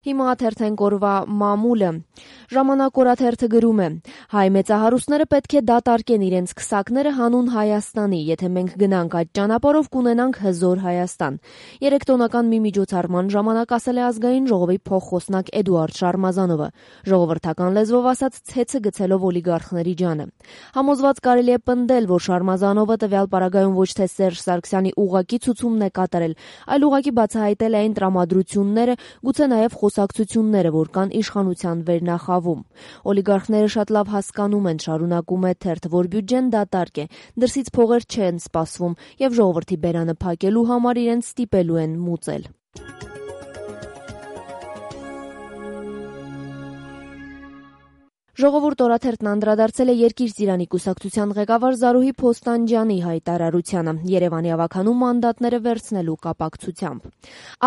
Հիմա թերթենք օրվա մամուլը։ Ժամանակ օրաթերթը գրում է. հայ մեծահարուստները պետք է դատարկեն իրենց քսակները հանուն Հայաստանի, եթե մենք գնանք այդ ճանապարհով կունենանք հզոր Հայաստան։ 3 տոնական մի միջոցառման ժամանակ ասել է Ազգային ժողովի փոխխոսնակ Էդուարդ Շարմազանովը, ժողովրդական լեզվով ասած ցեցը գցելով օլիգարխների ջանը։ Համոզված կարելի է պնդել, որ Շարմազանովը տվյալ պարագայում ոչ թե Սերժ Սարգսյանի ուղղակի ցուցումն է կատարել, այլ ուղղակի բացահայտել է այն տրամադրությունները, գուցե նաև խոսակցությունները, որ կան իշխանության վերնախավում։ Օլիգարխները շատ լավ հասկանում են, շարունակում է թերթը, որ բյուջեն դատարկ է, դրսից փողեր չեն սպասվում եւ ժողովրդի բերանը փակելու համար իրենց ստիպելու են մուծել։ Ժողովուրդ օրաթերթն անդրադարձել է Երկիր Ծիրանի կուսակցության ղեկավար Զարուհի Փոստանջյանի հայտարարությանը Երևանի ավագանու մանդատները վերցնելու կապակցությամբ։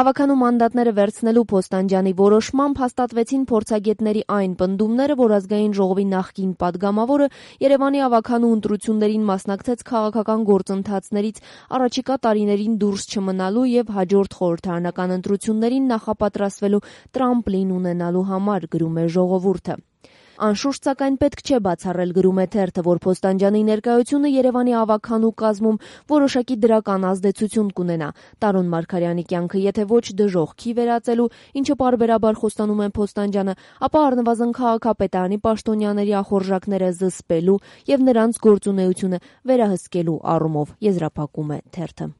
Ավագանու մանդատները վերցնելու Փոստանջյանի որոշմամբ հաստատվեցին փորձագետների այն պնդումները, որ Ազգային ժողովի նախկին падգամավորը Երևանի ավագանու ընտրություններին մասնակցեց քաղաքական գործընթացներից առաջիկա տարիներին դուրս չմնալու եւ հաջորդ խորհրդարանական ընտրություններին նախապատրաստվելու տրամպլին ունենալու համար, գրում է Ժողովուրդը։ Անշուշտ, սակայն պետք չէ բացառել, գրում է թերթը, որ Փոստանջյանի ներկայությունը Երևանի ավագանու կազմում որոշակի դրական ազդեցություն կունենա Տարոն Մարգարյանի կյանքը, եթե ոչ դժոխքի վերածելու, ինչը պարբերաբար խոստանում է Փոստանջյանը, ապա առնվազն քաղաքապետարանի պաշտոնյաների ախորժակները զսպելու եւ նրանց գործունեությունը վերահսկելու առումով, եզրափակում է թերթը։